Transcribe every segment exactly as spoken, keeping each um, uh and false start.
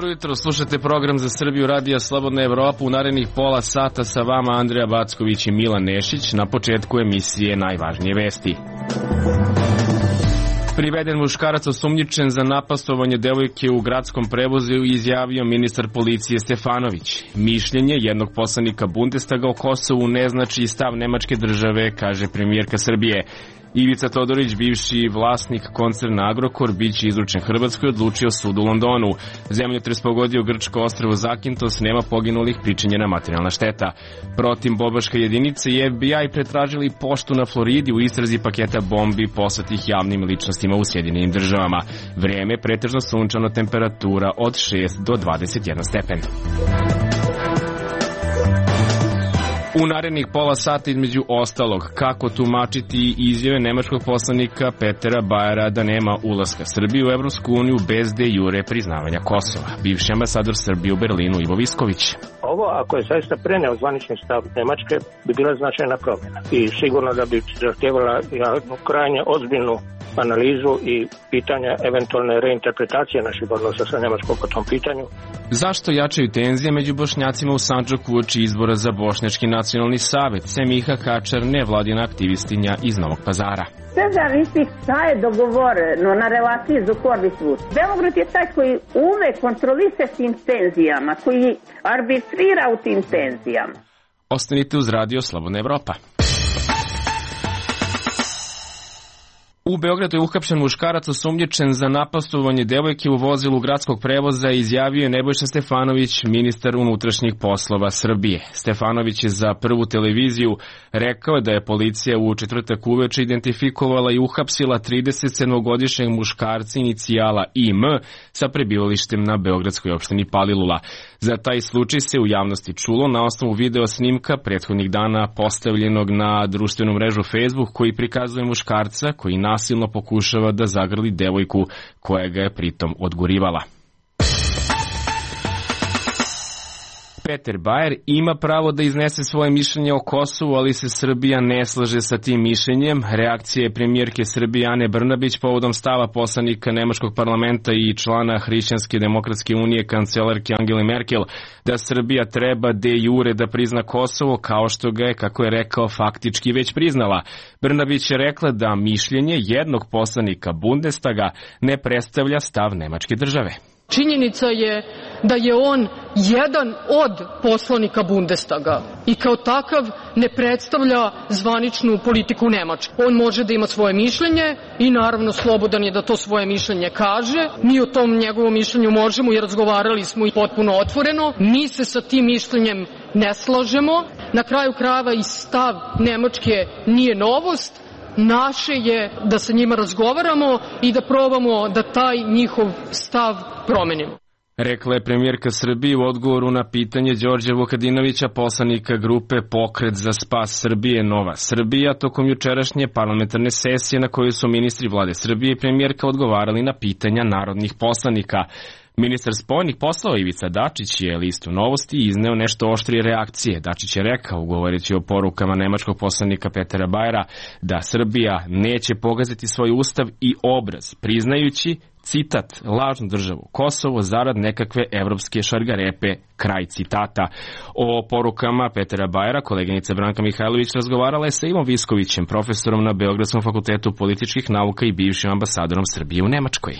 Dobro jutro, slušate program za Srbiju Radija Slobodna Evropa. U narednih pola sata sa vama Andreja Backović i Milan Nešić. Na početku emisije najvažnije vesti. Priveden muškarac osumnjičen za napastovanje devojke u gradskom prevozu izjavio ministar policije Stefanović. Mišljenje jednog poslanika Bundestaga o Kosovu ne znači stav nemačke države, kaže premijerka Srbije. Ivica Todorić, bivši vlasnik koncerna Agrokor, biće izručen Hrvatskoj, odlučio sud u Londonu. Zemljotres pogodio grčko ostrvo Zakintos, nema poginulih, pričinjena materijalna šteta. Protiv bobaške jedinice i F B I pretražili poštu na Floridi u istrazi paketa bombi poslatih javnim ličnostima u Sjedinjenim državama. Vreme pretežno sunčano, temperatura od šest do dvadeset jedan stepen. U narednih pola sata između ostalog, kako tumačiti izjave nemačkog poslanika Petera Bajera da nema ulaska Srbije u Evropsku uniju bez de jure priznavanja Kosova. Bivši ambasador Srbije u Berlinu Ivo Visković. Ovo, ako je zaista preneo zvanični stav Nemačke, bi bila značajna promjena i sigurno da bi zahtjevala jednu krajnje ozbiljnu analizu i pitanja eventualne reinterpretacije naših odnosa sa Nemačkom po tom pitanju. Zašto jačaju tenzije među Bošnjacima u Sandžaku uoči izbora za Bošnjački nacionalni savet? Semiha Kačar, nevladina aktivistinja iz Novog Pazara. Sve zavisi šta je dogovoreno na relaciji Zukorlić-Vučić. Beograd je taj koji ume kontrolise s tim tenzijama, koji arbitrira u tim tenzijama. Ostanite uz Radio Slobodna Evropa. U Beogradu je uhapšen muškarac osumnjičen za napastovanje devojke u vozilu gradskog prevoza, izjavio je Nebojša Stefanović, ministar unutrašnjih poslova Srbije. Stefanović je za Prvu televiziju rekao da je policija u četvrtak uveče identifikovala i uhapsila tridesetsedmogodišnjeg muškarca inicijala I M sa prebivalištem na beogradskoj opštini Palilula. Za taj slučaj se u javnosti čulo na osnovu video snimka prethodnih dana postavljenog na društvenu mrežu Facebook, koji prikazuje muškarca koji nasilno pokušava da zagrli devojku koja ga je pritom odgurivala. Peter Bajer ima pravo da iznese svoje mišljenje o Kosovu, ali se Srbija ne slaže sa tim mišljenjem. Reakcija je premijerke Srbije Ane Brnabić povodom stava poslanika nemačkog parlamenta i člana Hrišćanske demokratske unije kancelarke Angele Merkel da Srbija treba de jure da prizna Kosovo, kao što ga je, kako je rekao, faktički već priznala. Brnabić je rekla da mišljenje jednog poslanika Bundestaga ne predstavlja stav nemačke države. Činjenica je da je on jedan od poslanika Bundestaga i kao takav ne predstavlja zvaničnu politiku Nemačke. On može da ima svoje mišljenje i naravno slobodan je da to svoje mišljenje kaže. Mi o tom njegovom mišljenju možemo i razgovarali smo i potpuno otvoreno. Mi se sa tim mišljenjem ne slažemo. Na kraju krajeva i stav Nemačke nije novost. Naše je da sa njima razgovaramo i da probamo da taj njihov stav promenimo. Rekla je premijerka Srbije u odgovoru na pitanje Đorđa Vukadinovića, poslanika grupe Pokret za spas Srbije Nova Srbija, tokom jučerašnje parlamentarne sesije na kojoj su ministri vlade Srbije i premijerka odgovarali na pitanja narodnih poslanika. Ministar spoljnih poslova Ivica Dačić je listu Novosti izneo nešto oštrije reakcije. Dačić je rekao, govoreći o porukama nemačkog poslanika Petera Bajera, da Srbija neće pogaziti svoj ustav i obraz, priznajući, citat, lažnu državu Kosovo zarad nekakve evropske šargarepe, kraj citata. O porukama Petera Bajera koleginica Branka Mihajlović razgovarala je sa Ivom Viskovićem, profesorom na Beogradskom fakultetu političkih nauka i bivšim ambasadorom Srbije u Nemačkoj.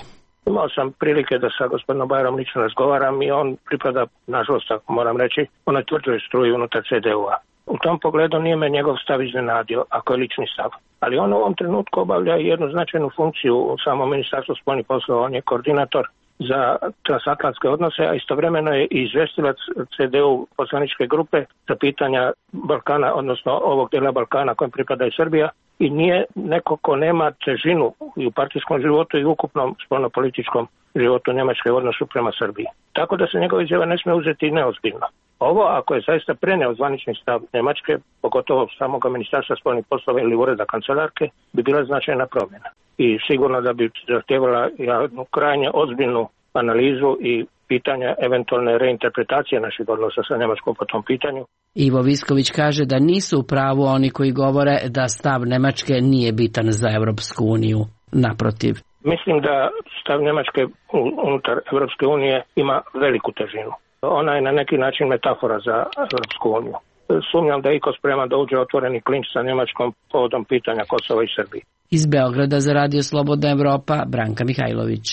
Imao sam prilike da sa gospodinom Bajerom lično razgovaram i on pripada, nažalost, ako moram reći, onoj tvrdoj struji unutar C D U-a. U tom pogledu nije me njegov stav iznenadio, ako je lični stav. Ali on u ovom trenutku obavlja jednu značajnu funkciju u samom Ministarstvu spoljnih poslova. On je koordinator za transatlantske odnose, a istovremeno je i izvestilac C D U poslaničke grupe za pitanja Balkana, odnosno ovog dela Balkana kojem pripada i Srbija. I nije neko ko nema težinu i u partijskom životu i u ukupnom spoljnopolitičkom životu Njemačke u odnosu prema Srbiji. Tako da se njegova izjava ne smije uzeti neozbiljno. Ovo, ako je zaista preneo zvanični stav Njemačke, pogotovo samoga ministarstva spoljnih poslova ili ureda kancelarke, bi bila značajna promjena. I sigurno da bi zahtjevala jednu krajnje ozbiljnu analizu i pitanja eventualne reinterpretacije naših odnosa sa Njemačkom po tom pitanju. Ivo Visković kaže da nisu u pravu oni koji govore da stav Nemačke nije bitan za Evropsku uniju. Naprotiv. Mislim da stav Njemačke unutar Evropske unije ima veliku težinu. Ona je na neki način metafora za Evropsku uniju. Sumnjam da je iko spreman da uđe otvoreni klinč sa Njemačkom povodom pitanja Kosova i Srbije. Iz Beograda za Radio Slobodna Evropa, Branka Mihajlović.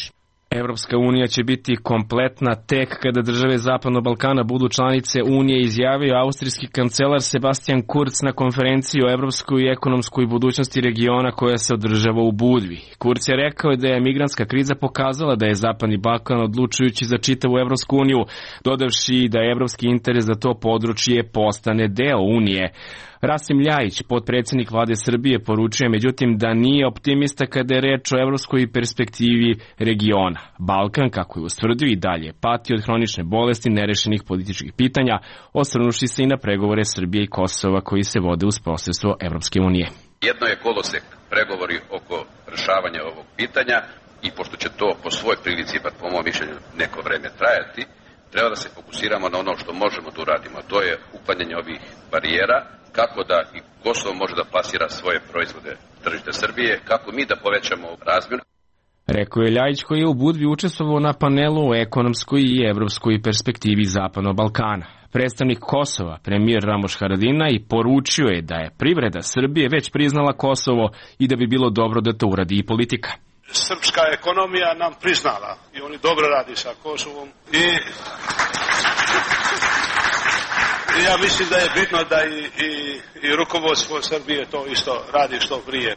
Evropska unija će biti kompletna tek kada države Zapadnog Balkana budu članice Unije, izjavio austrijski kancelar Sebastian Kurz na konferenciji o evropskoj i ekonomskoj budućnosti regiona koja se održava u Budvi. Kurz je rekao da je migrantska kriza pokazala da je Zapadni Balkan odlučujući za čitavu Evropsku uniju, dodavši da je evropski interes za to područje postane deo Unije. Rasim Ljajić, potpredsjednik vlade Srbije, poručuje međutim da nije optimista kada je reč o evropskoj perspektivi regiona. Balkan, kako je ustvrdio, i dalje pati od hronične bolesti, nerešenih političkih pitanja, osvrnuši se i na pregovore Srbije i Kosova koji se vode uz posredstvo Evropske unije. Jedno je kolosek pregovori oko rešavanja ovog pitanja i pošto će to po svoj prilici, pa po mom mišljenju, neko vreme trajati, treba da se fokusiramo na ono što možemo da uradimo, a to je uklanjanje ovih barijera, kako da i Kosovo može da plasira svoje proizvode tržište Srbije, kako mi da povećamo razmjenu. Rekao je Ljajić, koji je u Budvi učestvovao na panelu o ekonomskoj i evropskoj perspektivi Zapadnog Balkana. Predstavnik Kosova, premijer Ramoš Haradinaj, i poručio je da je privreda Srbije već priznala Kosovo i da bi bilo dobro da to uradi i politika. Srpska ekonomija nam priznala i oni dobro radi sa Kosovom i... Ja mislim da je bitno da i, i, i rukovodstvo Srbije to isto radi što prije.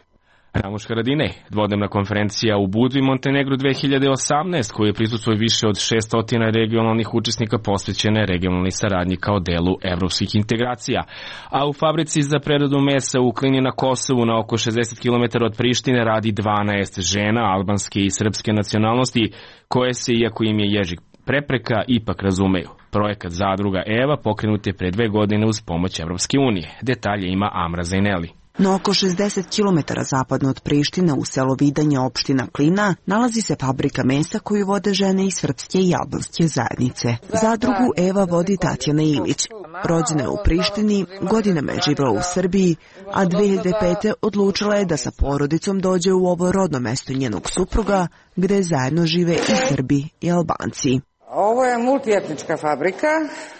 Ramoš Haradinaj, dvodnevna konferencija u Budvi, Montenegru dve hiljade osamnaeste, koju je prisustvovalo više od šesnaest regionalnih učesnika, posvećena je regionalnoj saradnji kao delu evropskih integracija. A u fabrici za preradu mesa u Klini na Kosovu, na oko šezdeset kilometara od Prištine, radi dvanaest žena albanske i srpske nacionalnosti, koje se, iako im je jezik prepreka, ipak razumeju. Projekat Zadruga Eva pokrenut je pre dve godine uz pomoć Evropske unije. Detalje ima Amra Zajneli. Na oko šezdeset kilometara zapadno od Prištine, u selo Vidanje, opština Klina, nalazi se fabrika mesa koju vode žene iz srpske i albanske zajednice. Zadrugu Eva vodi Tatjana Ilić. Rođena je u Prištini, godinama je živela u Srbiji, a dve hiljade pete. odlučila je da sa porodicom dođe u ovo rodno mesto njenog supruga, gde zajedno žive i Srbi i Albanci. Ovo je multietnička fabrika,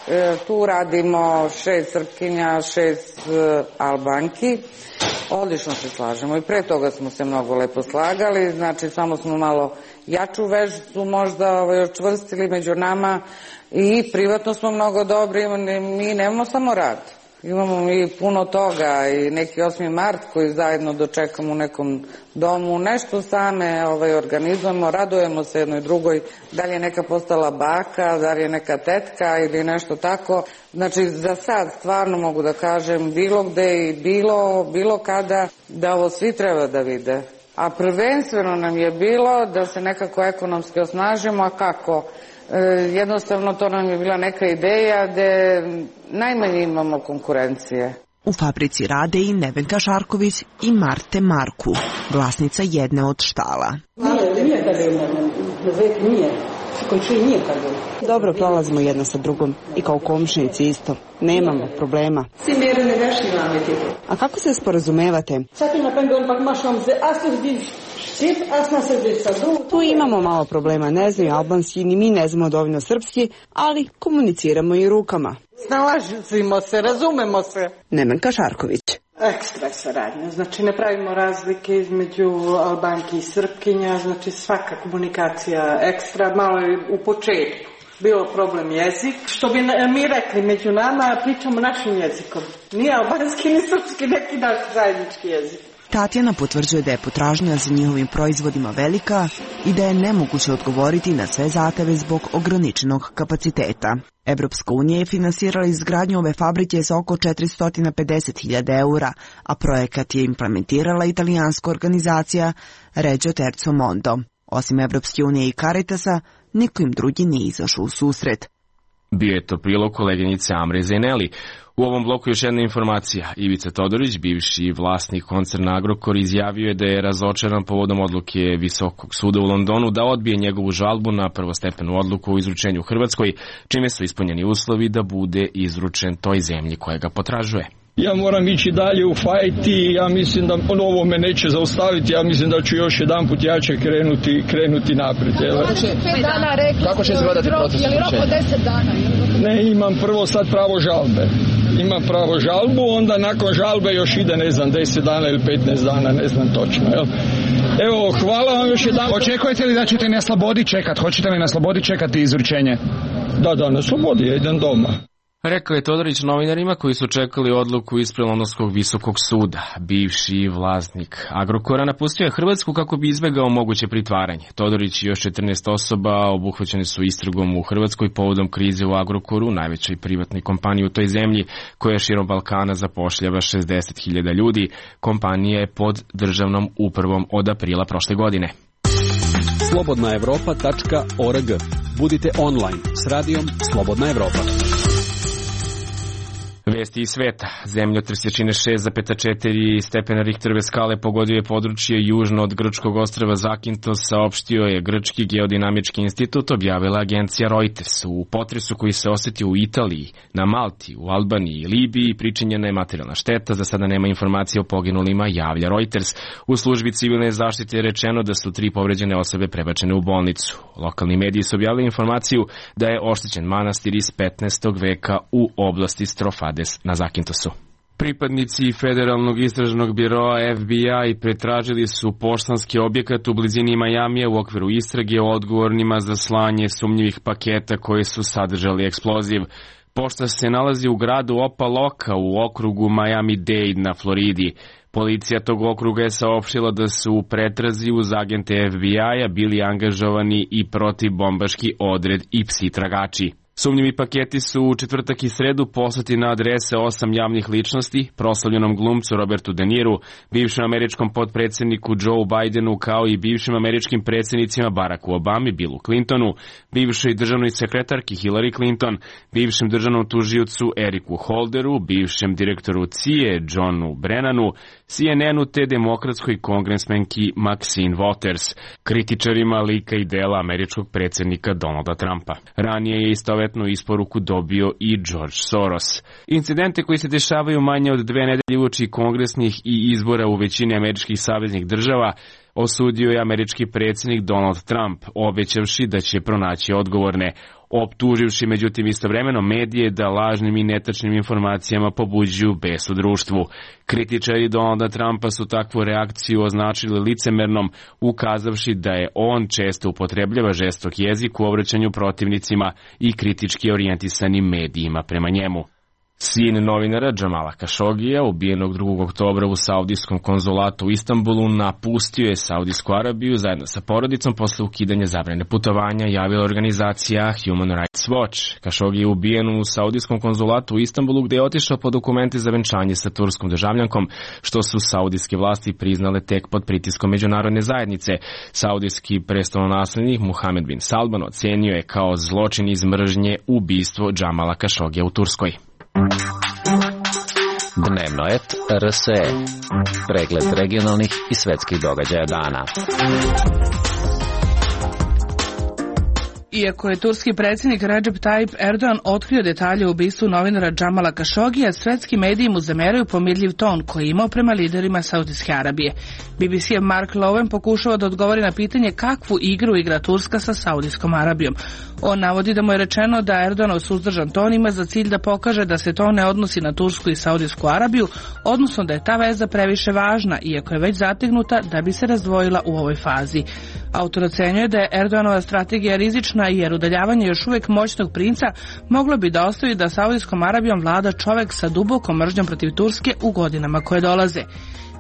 e, tu radimo šest Srpkinja, šest e, Albanki, odlično se slažemo i pre toga smo se mnogo lepo slagali, znači samo smo malo jaču vezu možda ovaj, čvrstili među nama i privatno smo mnogo dobri, mi nemamo samo rad. Imamo mi puno toga i neki osmi mart koji zajedno dočekamo u nekom domu, nešto same ovaj, organizujemo, radujemo se jednoj drugoj, da li je neka postala baka, da li je neka tetka ili nešto tako. Znači za sad stvarno mogu da kažem bilo gde i bilo, bilo kada da ovo svi treba da vide. A prvenstveno nam je bilo da se nekako ekonomski osnažimo, a kako? E, jednostavno to nam je bila neka ideja gde najmanje imamo konkurencije. U fabrici rade i Nevenka Šarković i Marte Marku, vlasnica jedne od štala. Dobro prolazimo jedna sa drugom i kao komšinici isto. Nemamo problema. A kako se sporazumevate? Tu imamo malo problema, ne znaju albanski, ni mi ne znamo dovoljno srpski, ali komuniciramo i rukama. Snalazimo se, razumemo se. Nemenka Šarković. Ekstra saradnja, znači ne pravimo razlike između Albanki i Srpkinja, znači svaka komunikacija ekstra, malo je u početku bilo problem jezik. Što bi mi rekli među nama, pričamo našim jezikom. Nije albanski ni srpski, neki naš zajednički jezik. Tatjana potvrđuje da je potražnja za njihovim proizvodima velika i da je nemoguće odgovoriti na sve zahteve zbog ograničenog kapaciteta. Evropska unija je finansirala izgradnju ove fabrike za oko četiristo pedeset hiljada eura, a projekat je implementirala italijanska organizacija Regio Terzo Mondo. Osim Evropske unije i Caritasa, niko im drugi nije izašao u susret. Bio je to prilog koleginice Amre Zajneli. U ovom bloku još jedna informacija. Ivica Todorić, bivši vlasnik koncerna Agrokor, izjavio je da je razočaran povodom odluke Visokog suda u Londonu da odbije njegovu žalbu na prvostepenu odluku o izručenju u Hrvatskoj, čime su ispunjeni uslovi da bude izručen toj zemlji koja ga potražuje. Ja moram ići dalje u fajt i ja mislim da ovo me neće zaustaviti, ja mislim da ću još jedan put jače krenuti, krenuti naprijed. Kako će se gledati proces uključenja? Je li rok od deset dana? Ne, imam prvo sad pravo žalbe. Imam pravo žalbu, onda nakon žalbe još ide, ne znam, deset dana ili petnaest dana, ne znam točno. Jel? Evo, hvala vam još jedan. Očekujete li da ćete na slobodi čekati? Hoćete li na slobodi čekati izručenje? Da, da, na slobodi, ja idem doma. Rekao je Todorić novinarima koji su čekali odluku ispred Londonskog visokog suda. Bivši vlasnik Agrokora napustio je Hrvatsku kako bi izbegao moguće pritvaranje. Todorić i još četrnaest osoba obuhvaćeni su istragom u Hrvatskoj povodom krize u Agrokoru, najvećoj privatnoj kompaniji u toj zemlji koja širom Balkana zapošljava šezdeset hiljada ljudi. Kompanija je pod državnom upravom od aprila prošle godine. slobodna evropa tačka org. Budite online s radijom Slobodna Evropa. Vesti iz sveta. Zemljotres jačine šest zarez četiri stepena Richterove skale pogodio je područje južno od grčkog ostrva Zakintos, saopštio je Grčki geodinamički institut, objavila agencija Reuters. U potresu koji se osetio u Italiji, na Malti, u Albaniji i Libiji pričinjena je materijalna šteta. Za sada nema informacije o poginulima, javlja Reuters. U službi civilne zaštite je rečeno da su tri povređene osobe prebačene u bolnicu. Lokalni mediji su objavili informaciju da je oštećen manastir iz petnaestog veka u oblasti Strofade na Zakintosu. Pripadnici Federalnog istražnog biroa F B I pretražili su poštanski objekat u blizini Majamija u okviru istrage o odgovornima za slanje sumnjivih paketa koji su sadržali eksploziv. Pošta se nalazi u gradu Opa-Loka u okrugu Miami-Dade na Floridi. Policija tog okruga je saopštila da su u pretrazi uz agente F B I-a bili angažovani i protivbombaški odred i psi tragači. Sumnjivi paketi su u četvrtak i sredu poslati na adrese osam javnih ličnosti, proslavljenom glumcu Robertu De Niru, bivšem američkom potpredsjedniku Joe Bidenu, kao i bivšim američkim predsjednicima Baracku Obami, Billu Clintonu, bivšoj državnoj sekretarki Hillary Clinton, bivšem državnom tužiocu Eriku Holderu, bivšem direktoru C I A Johnu Brennanu, C N N-u te demokratskoj kongresmenki Maxine Waters, kritičarima lika i dela američkog predsjednika Donalda Trumpa. Ranije je istovetnu isporuku dobio i George Soros. Incidente koji se dešavaju manje od dve nedelje uoči kongresnih i izbora u većini američkih saveznih država osudio je američki predsjednik Donald Trump, obećavši da će pronaći odgovorne, optuživši međutim istovremeno medije da lažnim i netačnim informacijama pobuđuju bes u društvu. Kritičari Donalda Trumpa su takvu reakciju označili licemernom, ukazavši da je on često upotrebljava žestok jezik u obraćanju protivnicima i kritički orijentisanim medijima prema njemu. Sin novinara Džamala Kašogija, ubijenog drugog oktobra u saudijskom konzulatu u Istanbulu, napustio je Saudijsku Arabiju zajedno sa porodicom posle ukidanja zabrane putovanja, javila organizacija Human Rights Watch. Kašogi je ubijen u saudijskom konzulatu u Istanbulu, gde je otišao po dokumente za venčanje sa turskom državljankom, što su saudijske vlasti priznale tek pod pritiskom međunarodne zajednice. Saudijski prestolonaslednik Muhammed bin Salman ocenio je kao zločin iz mržnje ubistvo Džamala Kašogija u Turskoj. Dnevnoet R S E. Pregled regionalnih i svetskih događaja dana. Iako je turski predsjednik Recep Tayyip Erdogan otkrio detalje o ubistvu novinara Džamala Kašogija, svetski mediji mu zameraju pomirljiv ton koji je imao prema liderima Saudijske Arabije. B B C-ev Mark Lowen pokušava da odgovori na pitanje kakvu igru igra Turska sa Saudijskom Arabijom. On navodi da mu je rečeno da Erdoganov suzdržan ton ima za cilj da pokaže da se to ne odnosi na Tursku i Saudijsku Arabiju, odnosno da je ta veza previše važna, iako je već zategnuta da bi se razdvojila u ovoj fazi. Autor ocenjuje da je Erdoganova strategija rizična jer udaljavanje još uvijek moćnog princa moglo bi da ostavi da Saudijskom Arabijom vlada čovek sa dubokom mržnjom protiv Turske u godinama koje dolaze.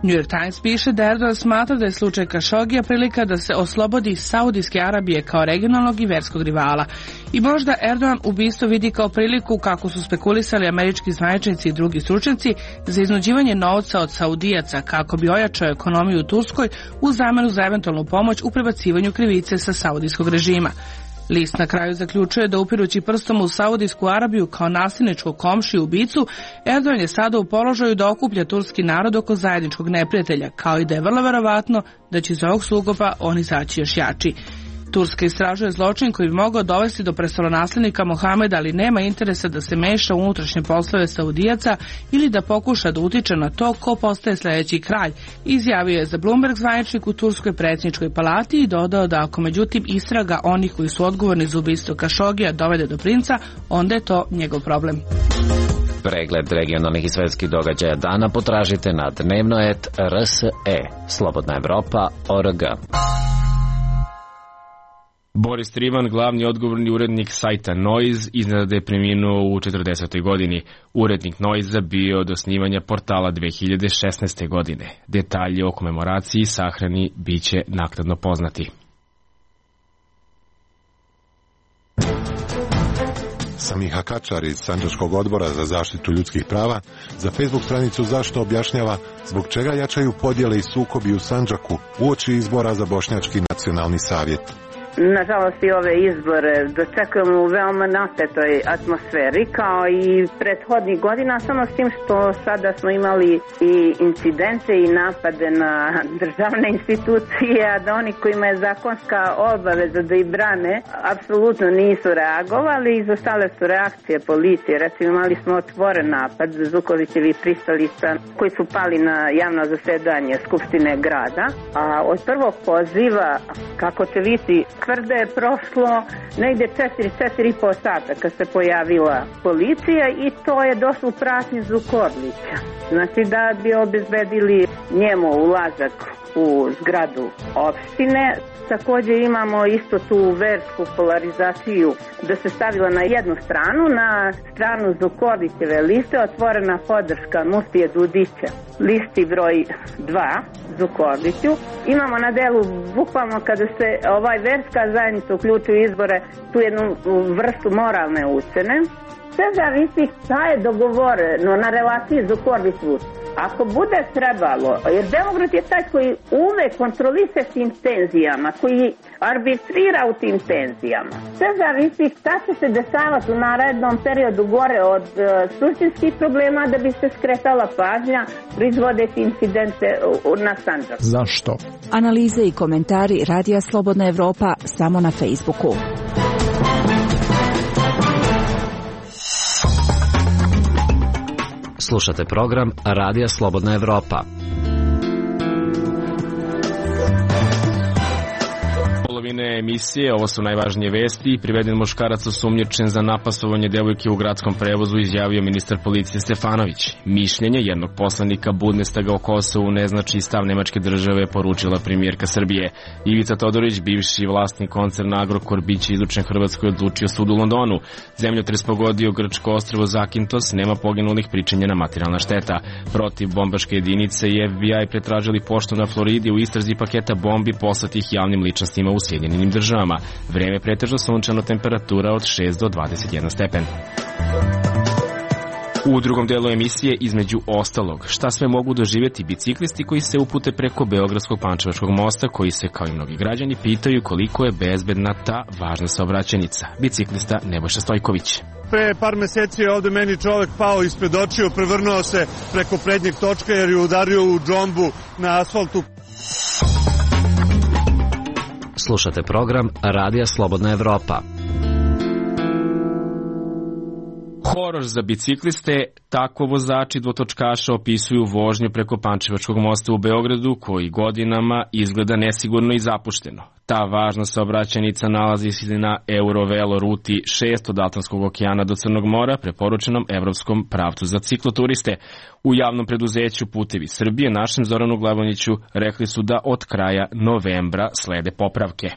New York Times piše da Erdogan smatra da je slučaj Kašogija prilika da se oslobodi Saudijske Arabije kao regionalnog i verskog rivala. I možda Erdogan ubistvo vidi kao priliku, kako su spekulisali američki zvaničnici i drugi stručnjaci, za iznuđivanje novca od Saudijaca kako bi ojačao ekonomiju u Turskoj u zamenu za eventualnu pomoć u prebacivanju krivice sa saudijskog režima. List na kraju zaključuje da upirući prstom u Saudijsku Arabiju kao nasilničkog komšiju ubicu, Erdogan je sada u položaju da okuplja turski narod oko zajedničkog neprijatelja, kao i da je vrlo verovatno da će iz ovog sukoba on izaći još jači. Turska istražuje zločin koji bi mogao dovesti do prestolonaslednika Mohameda, ali nema interesa da se meša u unutrašnje poslove Saudijaca ili da pokuša da utiče na to ko postaje sledeći kralj, izjavio je za Bloomberg zvaničnik u Turskoj predsjedničkoj palati i dodao da ako međutim istraga onih koji su odgovorni za ubistvo Kašogija dovede do princa, onda je to njegov problem. Pregled regionalnih i svetskih događaja dana potražite na dnevno et r s e, Slobodna Evropa točka org. Boris Trivan, glavni odgovorni urednik sajta Noiz, iznenada da je preminuo u četrdesetoj godini. Urednik Noiza bio od osnivanja portala dve hiljade šesnaeste. godine. Detalji o komemoraciji i sahrani biće naknadno poznati. Samiha Kačar iz Sandžačkog odbora za zaštitu ljudskih prava za Facebook stranicu Zašto objašnjava zbog čega jačaju podjele i sukobi u Sandžaku uoči izbora za Bošnjački nacionalni savjet. Nažalost i ove izbore dočekujemo u veoma napetoj atmosferi kao i prethodnih godina, samo s tim što sada smo imali i incidente i napade na državne institucije, a da oni kojima je zakonska obaveza da ih brane apsolutno nisu reagovali. Izostale su reakcije policije. Recimo imali smo otvoren napad za Zukovićevi pristalica koji su pali na javno zasedanje Skupštine grada, a od prvog poziva, kako će biti, tvrde je prošlo negde četiri, četiri i po sata kad se pojavila policija i to je došlo u pratnju Korlića. Znači da bi obezbedili njemu ulazak u zgradu opštine. Također imamo isto tu versku polarizaciju da se stavila na jednu stranu, na stranu Zukorlićeve liste otvorena podrška Muftije Dudića, listi broj dva Zukorliću. Imamo na delu bukvalno kada se ovaj verska zajednica uključuje u izbore tu jednu vrstu moralne ucene. Sve zavisi šta je dogovoreno na relaciji Zukorlić-Vučić. Ako bude trebalo, jer Beograd je taj koji uvek kontroliše tim tenzijama, koji arbitrira u tim tenzijama. Sve zavisi šta će se dešavati u narednom periodu gore od uh, suštinskih problema da bi se skretala pažnja proizvodeći incidente na Sandžaku. Zašto? Analize i komentari Radija Slobodna Evropa samo na Facebooku. Slušate program Radija Slobodna Evropa. Polovine emisije, ovo su najvažnije vesti. Priveden muškarac osumnjičen za napasovanje devojke u gradskom prevozu, izjavio ministar policije Stefanović. Mišljenje jednog poslanika Bundestaga o Kosovu ne znači stav nemačke države, poručila premijerka Srbije. Ivica Todorić, bivši vlasnik koncerna Agrokor, biće izučen Hrvatskoj, odlučio sud u Londonu. Zemljotres pogodio grčko ostrvo Zakintos, nema poginulih, pričinjena materijalna šteta. Protiv bombaške jedinice i F B I pretražili poštu na Floridi u istrazi paketa bombi poslatih javnim ličnostima u Sjedinjenim državama. Vreme pretežno sunčano, temperatura od šest do dvadeset jedan stepen. U drugom delu emisije, između ostalog, šta sve mogu doživjeti biciklisti koji se upute preko Beogradskog Pančevačkog mosta, koji se, kao i mnogi građani, pitaju koliko je bezbedna ta važna saobraćajnica. Biciklista Nebojša Stojković. Pre par meseci je ovde meni čovek pao ispred očiju, prevrnuo se preko prednjeg točka jer je udario u džombu na asfaltu. Slušate program Radija Slobodna Evropa. Horor za bicikliste, tako vozači dvotočkaša opisuju vožnju preko Pančevačkog mosta u Beogradu, koji godinama izgleda nesigurno i zapušteno. Ta važna saobraćajnica nalazi se na Eurovelo ruti šest od Atlantskog okeana do Crnog mora, preporučenom evropskom pravcu za cikloturiste. U javnom preduzeću Putevi Srbije našem Zoranu Glavoniću rekli su da od kraja novembra slede popravke.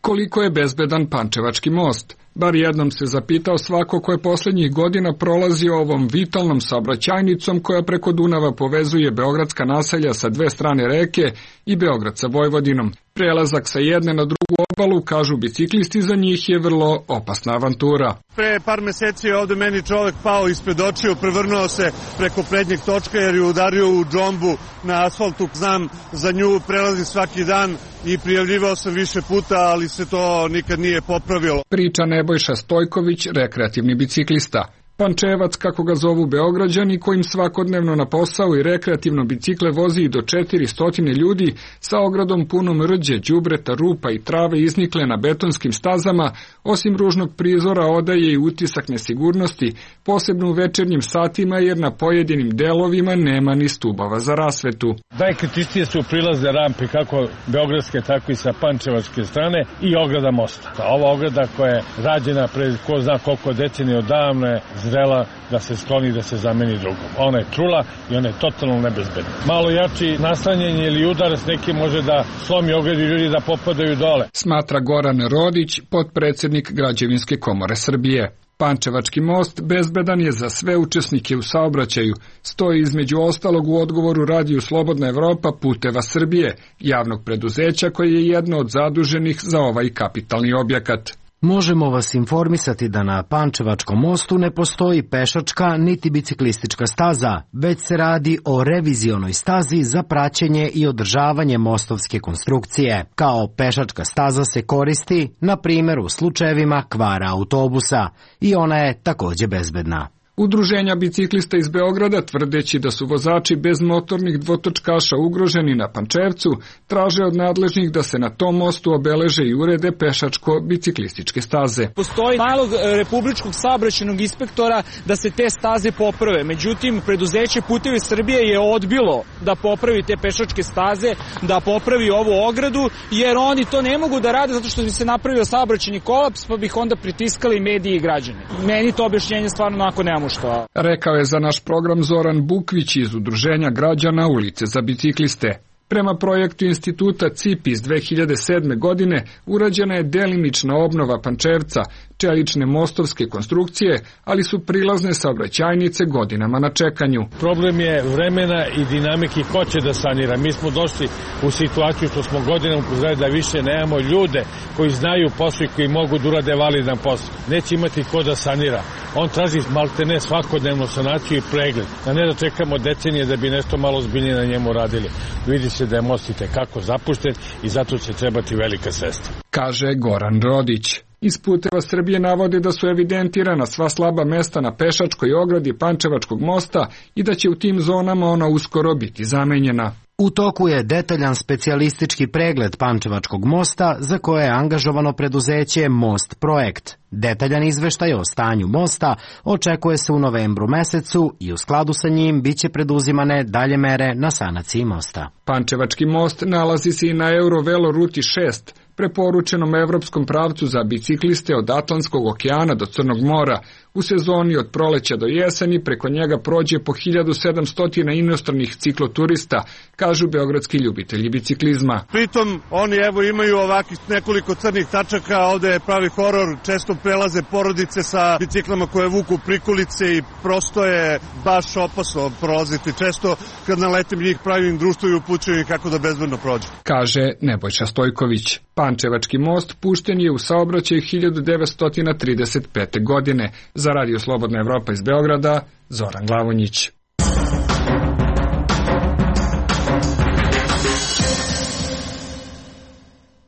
Koliko je bezbedan Pančevački most? Bar jednom se zapitao svako ko je poslednjih godina prolazio ovom vitalnom saobraćajnicom koja preko Dunava povezuje beogradska naselja sa dve strane reke i Beograd sa Vojvodinom. Prelazak sa jedne na drugu obalu, kažu biciklisti, za njih je vrlo opasna avantura. Pre par meseci je ovde meni čovek pao ispred očiju, prevrnuo se preko prednjeg točka jer je udario u džombu na asfaltu. Znam za nju, prelazim svaki dan i prijavljivao sam više puta, ali se to nikad nije popravilo. Priča Nebojša Stojković, rekreativni biciklista. Pančevac, kako ga zovu Beograđani, kojim svakodnevno na posao i rekreativno bicikle vozi i do četiristo ljudi, sa ogradom punom rđe, đubreta, rupa i trave iznikle na betonskim stazama, osim ružnog prizora odaje i utisak nesigurnosti, posebno u večernjim satima jer na pojedinim delovima nema ni stubova za rasvetu. Najkritičnije su prilazne rampe kako beogradske, tako i sa pančevačke strane i ograda mosta. Ova ograda koja je rađena pred ko zna koliko decenija odavno je zrela da se skloni, da se zameni drugom. Ona je trula i ona je totalno nebezbedna. Malo jači naslanjenje ili udar s nekim može da slomi ogradu i ljudi da popadaju dole. Smatra Goran Rodić, potpredsednik Građevinske komore Srbije. Pančevački most bezbedan je za sve učesnike u saobraćaju, stoji između ostalog u odgovoru Radiju Slobodna Evropa Puteva Srbije, javnog preduzeća koje je jedno od zaduženih za ovaj kapitalni objekat. Možemo vas informisati da na Pančevačkom mostu ne postoji pešačka niti biciklistička staza, već se radi o revizionoj stazi za praćenje i održavanje mostovske konstrukcije. Kao pešačka staza se koristi, na primjer, u slučajevima kvara autobusa i ona je takođe bezbedna. Udruženja biciklista iz Beograda, tvrdeći da su vozači bez motornih dvotočkaša ugroženi na Pančevcu, traže od nadležnih da se na tom mostu obeleže i urede pešačko-biciklističke staze. Postoji nalog Republičkog saobraćajnog inspektora da se te staze poprave. Međutim, preduzeće Putevi Srbije je odbilo da popravi te pešačke staze, da popravi ovu ogradu, jer oni to ne mogu da rade zato što bi se napravio saobraćajni kolaps, pa bih onda pritiskali mediji i građani. Meni to objašnjenje stvarno onako nemamo što. Rekao je za naš program Zoran Bukvić iz Udruženja građana Ulice za bicikliste. Prema projektu instituta C I P iz dve hiljade sedme. godine urađena je delimična obnova Pančevca, čelične mostovske konstrukcije, ali su prilazne saobraćajnice godinama na čekanju. Problem je vremena i dinamike ko će da sanira. Mi smo došli u situaciju što smo godinama upozorili da više nemamo ljude koji znaju posao i koji mogu da urade validan posao. Neće imati ko da sanira. On traži maltene svakodnevnu sanaciju i pregled, a ne da čekamo decenije da bi nešto malo zbiljnije na njemu radili. Vidi se da je most itekako zapušten i zato će trebati velika sredstva. Kaže Goran Rodić. Iz Puteva Srbije navode da su evidentirana sva slaba mesta na pešačkoj ogradi Pančevačkog mosta i da će u tim zonama ona uskoro biti zamenjena. U toku je detaljan specijalistički pregled Pančevačkog mosta za koje je angažovano preduzeće Most Projekt. Detaljan izveštaj o stanju mosta očekuje se u novembru mesecu i u skladu sa njim biće preduzimane dalje mere na sanaciji mosta. Pančevački most nalazi se i na Eurovelo ruti šest, preporučenom evropskom pravcu za bicikliste od Atlantskog okeana do Crnog mora. U sezoni od proleća do jeseni preko njega prođe po hiljadu sedamsto inostranih cikloturista, kažu beogradski ljubitelji biciklizma. Pritom oni evo imaju ovakih nekoliko crnih tačaka, ovde je pravi horor, često prelaze porodice sa biciklama koje vuku prikolice i prosto je baš opasno prolaziti. Često kad naletim njih pravim društvo i upućujem kako da bezbedno prođu. Kaže Nebojša Stojković. Pančevački most pušten je u saobraćaj hiljadu devetsto trideset pete. godine. Za Radio Slobodna Evropa iz Beograda, Zoran Glavonjić.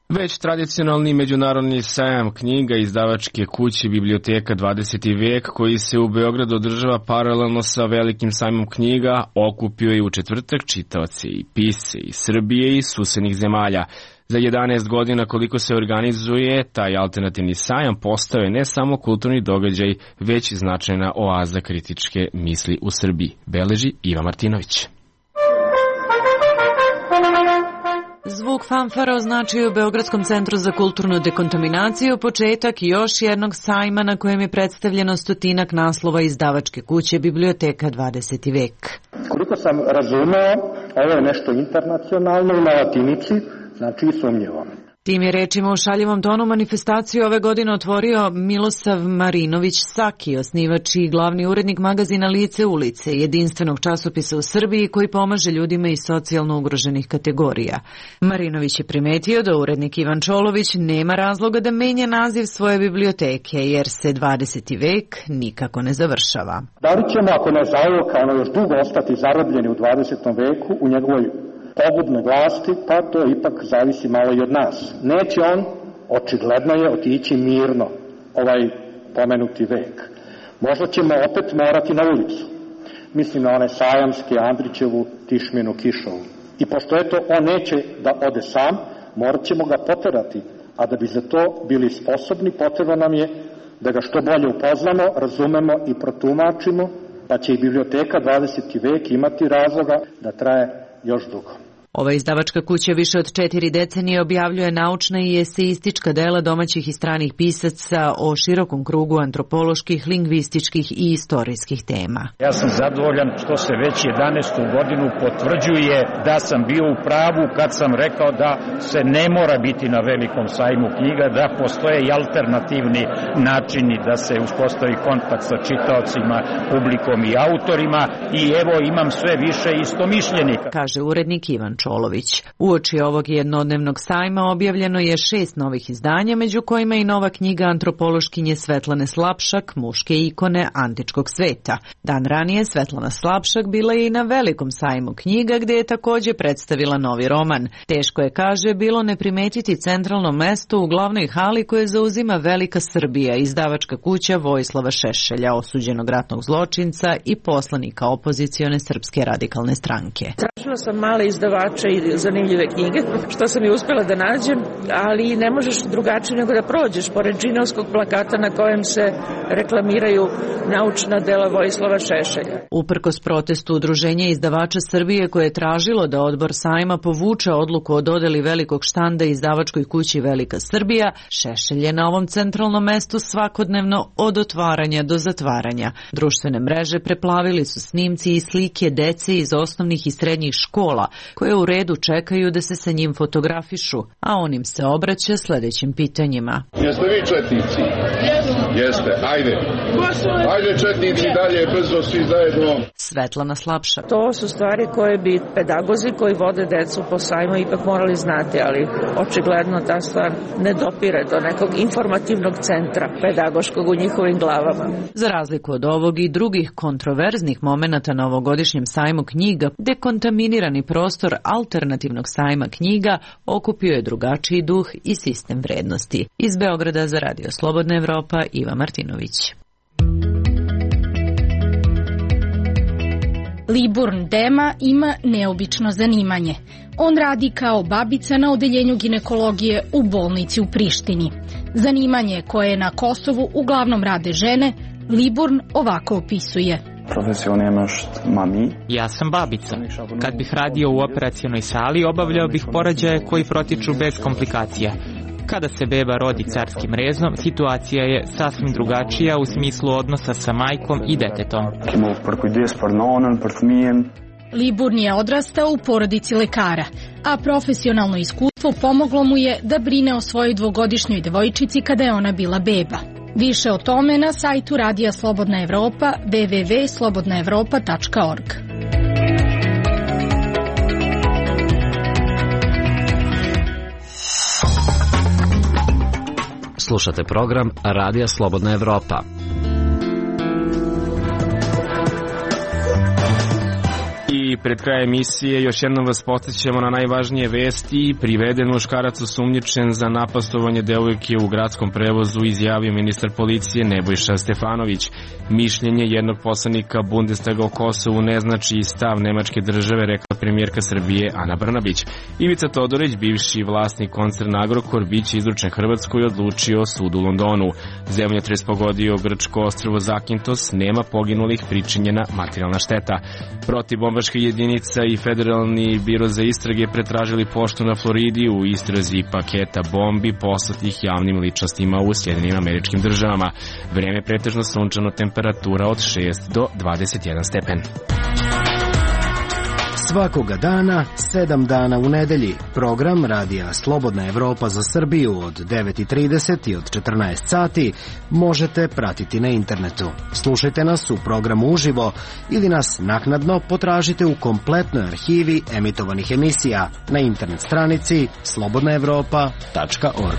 Već tradicionalni međunarodni sajam knjiga izdavačke kuće Biblioteka dvadeseti vek, koji se u Beogradu održava paralelno sa velikim sajmom knjiga, okupio je u četvrtak čitaoce i pisce iz Srbije i susednih zemalja. Za jedanaest godina koliko se organizuje, taj alternativni sajam postao je ne samo kulturni događaj, već značajna oaza kritičke misli u Srbiji, beleži Iva Martinović. Zvuk fanfara označio u Beogradskom centru za kulturnu dekontaminaciju početak još jednog sajma na kojem je predstavljeno stotinak naslova izdavačke kuće Biblioteka dvadeseti vek. Koliko sam razumeo, ovo je nešto internacionalno na latinici, znači i sumnjivo. Tim je rečima u šaljivom tonu manifestaciju ove godine otvorio Milosav Marinović Saki, osnivač i glavni urednik magazina Lice ulice, jedinstvenog časopisa u Srbiji koji pomaže ljudima iz socijalno ugroženih kategorija. Marinović je primetio da urednik Ivan Čolović nema razloga da menja naziv svoje biblioteke, jer se dvadeseti vek nikako ne završava. Da li ćemo, ako ne zaoka, ono još dugo ostati zarobljeni u dvadesetom veku, u njegovoj pogubne vlasti, pa to ipak zavisi malo i od nas. Neće on, očigledno je, otići mirno ovaj pomenuti vek. Možda ćemo opet morati na ulicu. Mislim na one Sajamske, Andrićevu, Tišminu, Kišovu. I pošto eto on neće da ode sam, morat ćemo ga poterati, a da bi za to bili sposobni, potrebno nam je da ga što bolje upoznamo, razumemo i protumačimo, pa će i biblioteka dvadeseti vek imati razloga da traje još dugo. Ova izdavačka kuća više od četiri decenije objavljuje naučna i eseistička dela domaćih i stranih pisaca o širokom krugu antropoloških, lingvističkih i istorijskih tema. Ja sam zadovoljan što se već jedanaestu godinu potvrđuje da sam bio u pravu kad sam rekao da se ne mora biti na velikom sajmu knjiga, da postoje i alternativni načini da se uspostavi kontakt sa čitaocima, publikom i autorima i evo imam sve više istomišljenika, kaže urednik Ivan Čolović. Uoči ovog jednodnevnog sajma objavljeno je šest novih izdanja, među kojima i nova knjiga antropološkinje Svetlane Slapšak, Muške ikone antičkog sveta. Dan ranije Svetlana Slapšak bila je i na velikom sajmu knjiga gdje je također predstavila novi roman. Teško je, kaže, bilo ne primetiti centralno mesto u glavnoj hali koje zauzima Velika Srbija, izdavačka kuća Vojislava Šešelja, osuđenog ratnog zločinca i poslanika opozicione Srpske radikalne stranke. Tražila sam male izdavače i zanimljive knjige, što sam i uspjela da nađem, ali ne možeš drugačije nego da prođeš pored džinovskog plakata na kojem se reklamiraju naučna dela Vojislava Šešelja. Uprkos protestu Udruženja izdavača Srbije koje je tražilo da odbor sajma povuče odluku o dodeli velikog štanda izdavačkoj kući Velika Srbija, Šešelj je na ovom centralnom mestu svakodnevno od otvaranja do zatvaranja. Društvene mreže preplavili su snimci i slike dece iz osnovnih i srednjih škola, koje u redu čekaju da se sa njim fotografišu, a on im se obraća sljedećim pitanjima. Jeste vi četnici? Jeste, ajde. Ajde četnici dalje, brzo svi zajedno. Svetlana Slapšak. To su stvari koje bi pedagozi koji vode decu po sajmu ipak morali znati, ali očigledno ta stvar ne dopire do nekog informativnog centra pedagoškog u njihovim glavama. Za razliku od ovog i drugih kontroverznih momenata na ovogodišnjem sajmu knjiga, dekontaminirani prostor alternativnog sajma knjiga okupio je drugačiji duh i sistem vrednosti. Iz Beograda za Radio Slobodna Evropa, Iva Martinović. Liburn Dema ima neobično zanimanje. On radi kao babica na odeljenju ginekologije u bolnici u Prištini. Zanimanje koje na Kosovu uglavnom rade žene, Liburn ovako opisuje. Ja sam babica. Kad bih radio u operacionoj sali, obavljao bih porođaje koji protiču bez komplikacija. Kada se beba rodi carskim rezom, situacija je sasvim drugačija u smislu odnosa sa majkom i detetom. Liburn je odrastao u porodici lekara, a profesionalno iskustvo pomoglo mu je da brine o svojoj dvogodišnjoj devojčici kada je ona bila beba. Više o tome na sajtu Radija Slobodna Evropa w w w tačka slobodna evropa tačka org. Slušate program Radija Slobodna Evropa. I pred krajem emisije još jednom vas podsjećamo na najvažnije vesti. Priveden muškarac osumnjičen za napastovanje devojke u gradskom prevozu, izjavio ministar policije Nebojša Stefanović. Mišljenje jednog poslanika Bundestaga o Kosovu ne znači stav nemačke države, rekla premijerka Srbije Ana Brnabić. Ivica Todorić, bivši vlasnik koncerna Agrokor, biće izručen Hrvatskoj, odlučio sud u Londonu. Zemljotres pogodio grčko ostrvo Zakintos, nema poginulih, pričinjena materijalna šteta. Protivbombaška jedinica i Federalni biro za istrage pretražili poštu na Floridi u istrazi paketa bombi poslatih javnim ličnostima u Sjedinim Američkim Državama. Vreme pretežno sunčano, temperatura od šest do dvadeset jedan stepen. Svakoga dana, sedam dana u nedelji. Program Radija Slobodna Evropa za Srbiju od devet i trideset i od četrnaest sati možete pratiti na internetu. Slušajte nas u programu uživo ili nas naknadno potražite u kompletnoj arhivi emitovanih emisija na internet stranici slobodna evropa tačka org.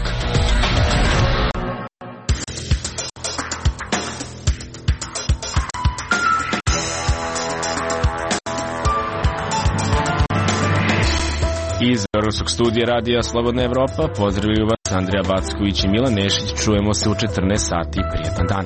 Iz Beogradskog studija Radija Slobodna Evropa pozdravljaju vas Andrija Backović i Milan Nešić. Čujemo se u četrnaest sati. Prijetan dan.